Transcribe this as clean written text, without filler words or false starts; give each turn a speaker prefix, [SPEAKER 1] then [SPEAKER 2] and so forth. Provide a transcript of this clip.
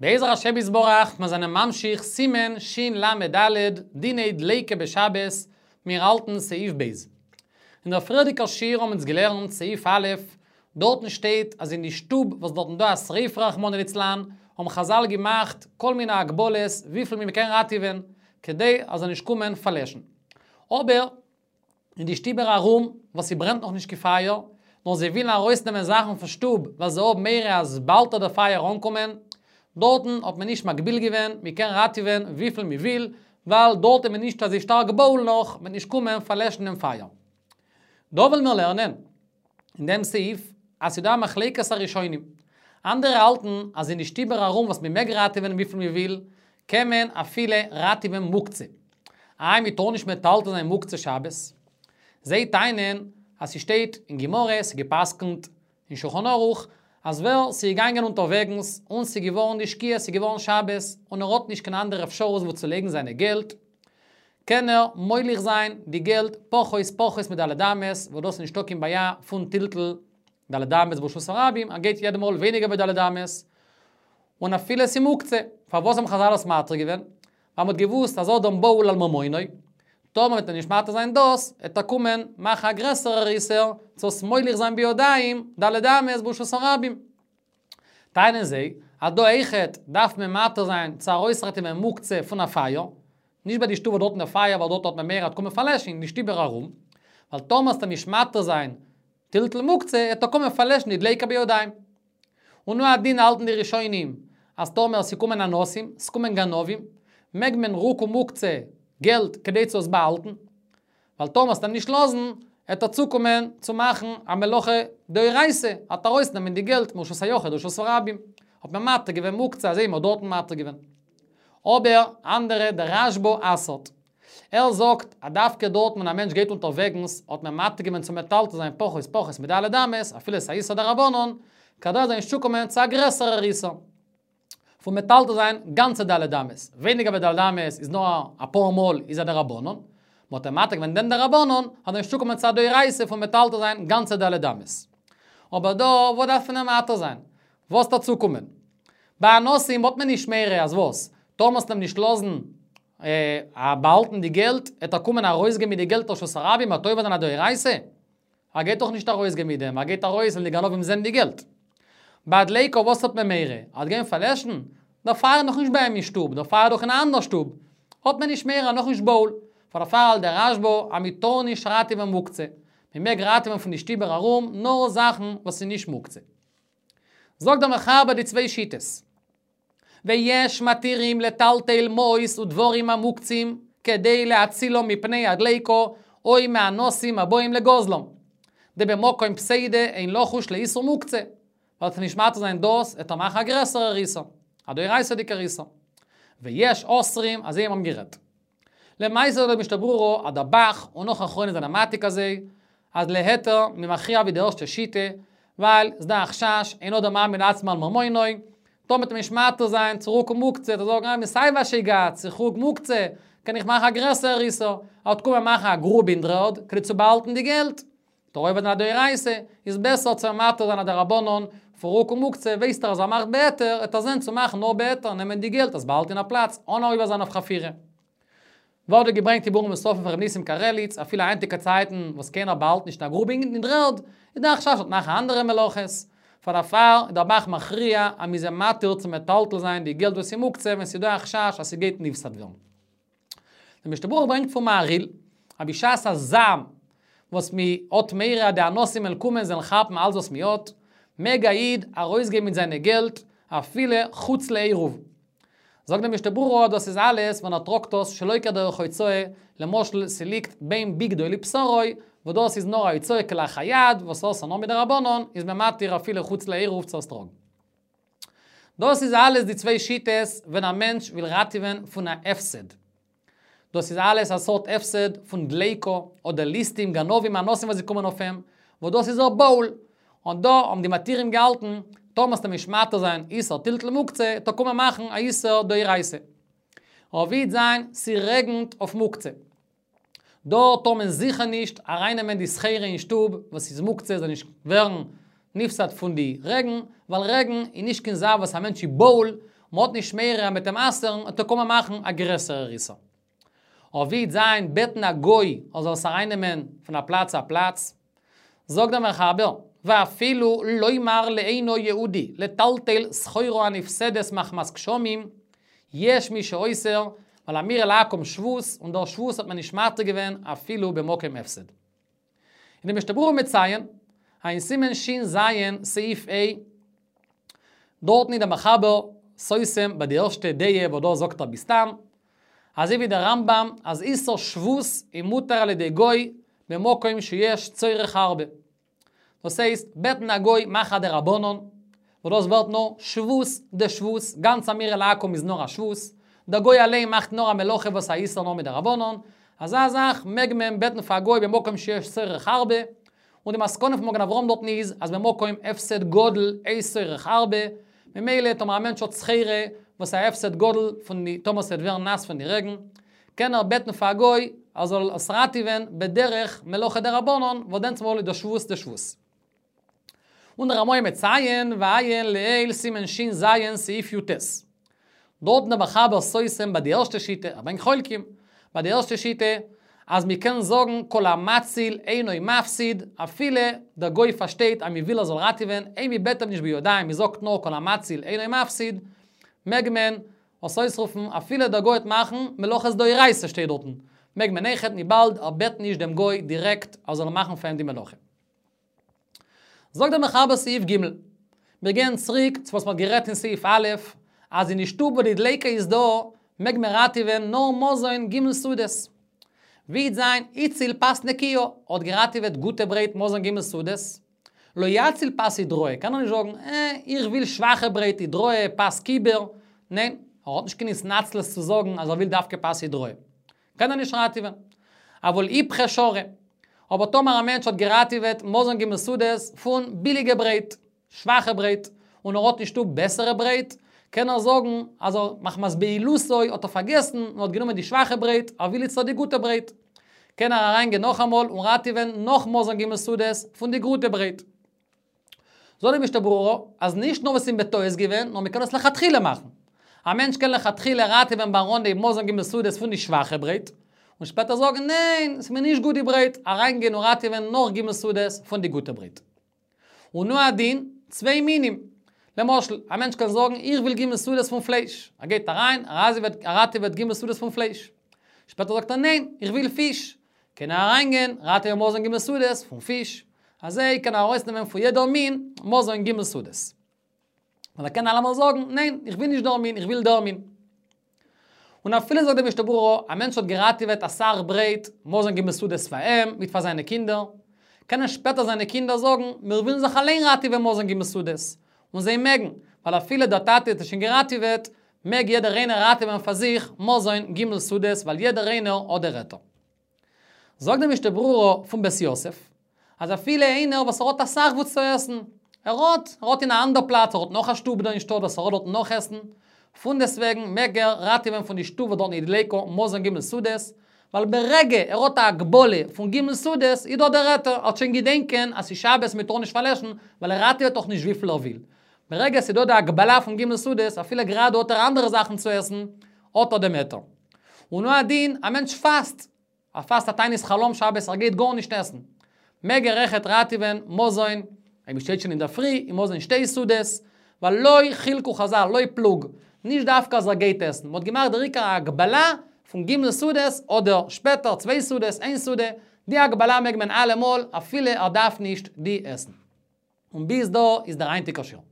[SPEAKER 1] בעזר השם יתברך, מיר זענען ממשיך סימן של"ד, דיני דליקה בשבת, מיר האלטן סעיף ב'. אין דער פריערדיגער שיעור האבן אונז געלערנט סעיף א', דארטן שטייט אז אין די שטוב וואס דארטן דא א שריפה רחמנא ליצלן, האבן חזל געמאכט כל מיני הגבלות וויפיל מען קען ראטעווען, כדי אז זאל נישט קומען פארלעשן. אבער אין די שטיבער ארום וואס ס'ברענט נאך נישט קיין פייער, נאר זיי ווילן ארויסנעמען זאכן פון שטוב ווייל זיי האבן מורא אז באלד וועט דער פייער אנקומען, דארטן האט מען נישט מגביל געווען, מען קען ראטעווען וויפיל מען וויל, ווייל דארט איז מען נישט אזוי שטארק בהול נאך, מ'וועט נישט קומען פארלעשן דעם פייער. דא וועלן מיר לערנען אין דעם סעיף אז ס'דא א מחלוקת הראשונים. אנדערע האלטן אז אין די שטיבער ארום וואס מען מעג ראטעווען וויפיל מען וויל, קען מען אפילו ראטעווען מוקצה. איי מען טאר נישט מטלטל זיין מוקצה שבת? זיי טענה'ן אז ס'שטייט אין גמרא, ס'איז גע'פסק'נט אין שולחן ערוך, אז ווער ס'איז געגאנגען אונטערוועגנס און ס'איז געווארן די שקיעה, ס'איז געווארן שבת, און ער האט נישט קיין אנדערע אפשרות וואו צו לייגן זיינע געלט, קען ער מוליך זיין די געלט פחות פחות מד' אמות, וואס דאס איז נישטא קיין בעיה פון טלטול ד' אמות ברשות הרבים, ער גייט יעדע מאל ווייניגער ווי ד' אמות, און אפילו ס'איז מוקצה, פארוואס האבן חזל עס מתיר געווען? ווייל מ'האט געוואוסט אז אדם בהול על ממונו, טאמער וועט מען נישט מתיר זיין דאס, וועט ער קומען מאכן א גרעסערער איסור, צו עס מוליך זיין בידיים ד' אמות ברשות הרבים. טענה'ן זיי, אז דא אויכעט דארף מען מתיר זיין צו ארויסראטעווען מוקצה פון א פייער, נישט ביי די שטוב וואס דארטן די פייער ווייל דארט האט מען מורא עט קומען פארלעשן, אין די שטיבער ארום, ווייל טאמער וועסטו נישט מתיר זיין טלטול מוקצה, וועט ער קומען פארלעשן די דליקה בידיים. און הוא הדין האלטן די ראשונים אז טאמער ס'קומען אנסים, ס'קומען גנבים, מעג מען רוקן מוקצה, געלט, כדי צו עס באהאלטן. ווייל טאמער וועסט אים נישט לאזן, עט ער צוקומען צו מאכן א מלאכה דאורייתא, עט ארויסנעמען די געלט מרשות היחיד לרשות הרבים. האט מען מתיר געווען מוקצה אזוי ווי מ'האט דארטן מתיר געווען. אבער אנדערע, דער רשב"א אסר'ט. ער זאגט אז דווקא דארטן ווען א מענטש גייט אונטערוועגנס האט מען מתיר געווען צו מטלטל זיין פחות פחות מד' אמות, אפילו ס'איז א איסור דרבנן, כדי ער זאל נישט צוקומען צו א גרעסערער איסור פון מטלטל זיין גאנצע ד' אמות, ווייניגער ווי ד' אמות איז נאר אפאר מאל איז א דרבנן, מ'האט אים מתיר געווען דעם דרבנן, אז ער זאל נישט צוקומען צו א דאורייתא פון מטלטל זיין גאנצע ד' אמות. אבער דא, וואס דארף מען אים מתיר זיין? וואס וועט ער צוקומען? ביי אנסים האט מען נישט מורא אז וואס? טאמער וועסט אים נישט לאזן באהאלטן די געלט, עט ער קומען ארויסגיין מיט די געלט לרשות הרבים, עט עובר זיין א דאורייתא? ער גייט דאך נישט ארויסגיין מיט דעם, ער גייט ארויס ווען די גנבים זעהן די געלט. ביי דליקה וואס האט מען מורא? ער וועט גיין פארלעשן? דער פייער איז נאכנישט ביי אים אין שטוב, דער פייער איז דאך אין א אנדער שטוב. האט מען נישט מורא, נאכנישט בהול. פאר דערפאר האלט דער רשב"א אז מען טאר נישט ראטעווען מוקצה. מען מעג ראטעווען פון די שטיבער ארום נאר זאכן וואס איז נישט מוקצה. זאגט דער מחבר די צוויי שיטות. ויש מתירים לטלטל מעות ודברים המוקצים כדי להצילם מפני הדליקה או מאנסים הבאים לגוזלם. דבמקום פסידא אין לחוש לאיסור מוקצה. ווייל וועסט נישט מתיר זיין דאס, עט ער מאכן א גרעסערער איסור. א דאורייתא'דיגער איסור. ויש אוסרים, אזוי האבן גערעדט. למעשה זאגט דער משנה ברורה אז דער ב"ח און נאך אחרונים זענען מעתיק אזוי, אז להיתר מ'איז מכריע ווי די ערשטע שיטה, ווייל ס'דא א חשש, אין אדם מעמיד עצמו על ממונו, טאמער וועט מען נישט מתיר זיין צו רוקן מוקצה, וועט ער זאגן אה מ'סיי ווי א שייגעץ, איך רוק מוקצה, קען איך מאכן א גרעסערער איסור, ער וועט קומען מאכן א גרוב אין דר'ערד, כדי צו באהאלטן די געלט. עט ער עובר זיין א דאורייתא, איז בעסער צו מתיר זיין א דרבנן, פון רוקן מוקצה, ווייסט ער אז ער מאכט בהיתר, עט ער זען צו מאכן נאר בהיתר, נעמען די געלט עס באהאלטן אין א פלאץ, אן עובר זיין אויף חפירה. ווערט דא געברענגט דיבורים נוספים פון ר' ניסים קרליץ, אפילו היינטיגע צייטן וואס קיינער באהאלט נישט א גרוב אין דר'ערד, איז דא א חשש ער וועט מאכן אנדערע מלאכות. פאר דערפאר איז דער ב"ח מכריע אז מ'איז אים מתיר צו מטלטל זיין די געלט וואס איז מוקצה ווען ס'איז דא א חשש אז ס'גייט נפסד ווערן. דער משנה ברורה ברענגט פון מהרי"ל, אז בשעת הזעם וואס מ'האט מורא אז די אנסים וועלן קומען זיי וועלן כאפן אלץ וואס מ'האט, מעג א איד ארויסגיין מיט זיינע געלט אפילו חוץ לעירוב. זאגט דער משנה ברורה דאס איז אלעס ווען ער טראגט עס שלא כדרך הוצאה, למשל ס'ליגט בין בגדו לבשרו, וואס דאס איז נאר א הוצאה כלאחר יד, וואס אסור נאר מדרבנן, איז מען מתיר אפילו חוץ לעירוב צו עס טראגן. דאס איז אלעס די צוויי שיטות ווען א מענטש וויל ראטעווען פון א הפסד. דאס איז אלעס א סארט הפסד פון דליקה, אדער ליסטים, גנבים, אנסים וואס זיי קומען אויף אים, וואס דאס איז ער בהול. און דא האבן די מתירים געהאלטן, טאמער וועסטו נישט מתיר זיין איסור טלטול מוקצה, עט ער קומען מאכן א איסור דאורייתא. אבער ווי וועט זיין ס'רעגנט אויף מוקצה. דארט טאר מען זיכער נישט ארייננעמען די סחורה אין שטוב וואס איז מוקצה זאל נישט ווערן נפסד פון די רעגן, ווייל רעגן איז נישט קיין זאך וואס א מענטש איז בהול, מ'האט נישט מורא מ'עט אים אסר'ן, עט ער קומען מאכן א גרעסערער איסור. אבער ווי עט זיין בעטן א גוי ער זאל עס ארייננעמען פון א פלאץ צו א פלאץ, זאגט דער מחבר, ואפילו לומר לאינו יהודי לטלטל סחורה הנפסדת מחמת גשמים, יש מי שאוסר, ווייל אמירה לעכו"ם שבות, און דער שבות האט מען נישט מתיר געווען אפילו במקום הפסד. אין די משנה ברורה מציין, אין סימן ש"ז סעיף ה', דארטן איז דער מחבר סותם ביי די ערשטע דעה וואס דא זאגט ער בסתם, אזוי ווי דער רמב"ם אז איסור שבות איז מותר על ידי גוי במקום שיש צורך הרבה. דאס הייסט, בעטן א גוי מאך א דרבנן, וואס דאס ווערט נאר שבות דשבות, גאנץ אמירה לעכו"ם איז נאר א שבות, דער גוי אליין מאכט נאר א מלאכה וואס א איסור נאר מדרבנן, אזא זאך מעג מען בעטן פאר א גוי במקום שיש צורך הרבה, און די מסקנא פון מגן אברהם דארטן איז אז במקום הפסד גדול אין צורך הרבה, ממילא טאמער א מענטש האט סחורה וואס א הפסד גדול פון די טאמער ס'וועט ווערן נאס פון די רעגן, קען ער בעטן פאר א גוי ער זאל עס ראטעווען בדרך מלאכה דרבנן וואס דענסמאל איז דאס שבות דשבות. און דער רמ"א מציין ועיין לעיל סימן ש"ז סעיף י"ט. דארטן דער מחבר סותם ביי די ערשטע שיטה, ער ברענגט חולקים, ביי די ערשטע שיטה, אז מען קען זאגן כל המציל אינו מפסיד, אפילו דער גוי פארשטייט אז מען וויל ער זאל ראטעווען, אויב מען בעט אים נישט בידיים, מען זאגט נאר כל המציל אינו מפסיד, מעג מען עס אויסרופן אפילו דער גוי וועט מאכן מלאכות דאורייתא שטייט דארטן, מעג מען אויכעט וויבאלד ער בעט נישט דעם גוי דירעקט ער זאל מאכן פאר אים די מלאכה. זאגט דער מחבר סעיף ג', מיר גייען צוריק צו וואס מ'האט גערעדט אין סעיף א', אז אין די שטוב וואו די דליקה איז דא, מעג מען ראטעווען נאר מזון ג' סעודות. ווי וועט זיין הציל פת נקיה, האט געראטעוועט גוטע ברייט מזון ג' סעודות. לא יציל פת עידראה, קען ער נישט זאגן, אה, איך וויל שוואכע ברייט עידראה, פת קיבר. ניין, ער האט נישט קיין התנצלות צו זאגן אז ער וויל דווקא פת עידראה. קען ער נישט ראטעווען. אבל איפכא שרי. אבער טאמער א מענטש האט געראטעוועט מזון ג' סעודות פון ביליגע ברייט, שוואכע ברייט, און ער האט אין שטוב בעסערע ברייט, קען ער זאגן אז ער מחמת בהילותו האט ער פארגעסן און האט גענומען די שוואכע ברייט, ער וויל איצטער די גוטע ברייט. קען ער אריינגיין נאכאמאל און ראטעווען נאך מזון ג' סעודות פון די גוטע ברייט. זאגט די משנה ברורה, אז נישט נאר וואס איז בטעות געווען, נאר מ'קען עס לכתחילה מאכן. א מענטש קען לכתחילה ראטעווען ביים אנהייב מזון ג' סעודות פון די שוואכע ברייט, און שפעטער זאגן ניין, ס'איז מיר נישט גוט די ברייט, אריינגיין און ראטעווען נאך ג' סעודות פון די גוטע ברייט. און הוא הדין, צוויי מינים. למשל, א מענטש קען זאגן איך וויל ג' סעודות פון פלייש. ער גייט אריין, ער ראטעוועט ג' סעודות פון פלייש. שפעטער זאגט ער ניין, איך וויל פיש. קען ער אריינגיין, ראטעווען מזון ג' סעודות פון פיש. אזוי קען ער ארויסנעמען פון יעדער מין מזון ג' סעודות. און ער קען אלעמאל זאגן, ניין, איך וויל נישט דער מין, איך וויל דער מין. און אפילו זאגט די משנה ברורה, א מענטש האט געראטעוועט אסאך ברייט, מזון ג' סעודות פאר אים, מיט פאר זיינע קינדער, קענען שפעטער זיינע קינדער זאגן, מיר ווילן זיך אליין ראטעווען מזון ג' סעודות. און זיי מעגן, ווייל אפילו דער טאטע האט עס שוין געראטעוועט, מעג יעדער איינער ראטעווען פאר זיך מזון ג' סעודות ווייל יעדער איינער האט דער היתר. זאגט די משנה ברורה פון בית יוסף, אז אפילו איינער וואס ער האט אסאך וואס צו עסן, ער האט, ער האט אין א אנדער פלאץ, ער האט נאך א שטוב דא אין שטאט וואס ער האט דארט נאך עסן, פונדעסטוועגן מעג ער ראטעווען פון די שטוב וואס דארטן איז דליקה מזון ג' סעודות, ווייל ברגע ער האט א הגבלה פון ג' סעודות איז דא דער היתר, ער וועט שוין געדענקען אז ס'איז שבת מ'טאר נישט פארלעשן, ווייל ער ראטעוועט דאך נישט וויפיל ער וויל. ברגע ס'איז דא די הגבלה פון ג' סעודות, אפילו גראדע האט ער אנדערע זאכן צו עסן, האט ער דעם היתר. און הוא הדין, א מענטש פאסט, ער פאסט א תענית חלום שבת, ער גייט גארנישט עסן. מעג ער אויכעט ראטעווען מזון, אויב מ'שטייט שוין אינדערפרי, און מזון שתי סעודות, ווייל לא חילקו חזל, לא פלוג, נישט דווקא אז ער גייט עסן, מ'האט געמאכט דער עיקר א הגבלה פון ג' סעודות, אדער שפעטער צוויי סעודות, איין סעודה, די הגבלה מעג מען אלעמאל, אפילו ער דארף נישט די עסן. און ביז דא איז דער היינטיגער שיעור.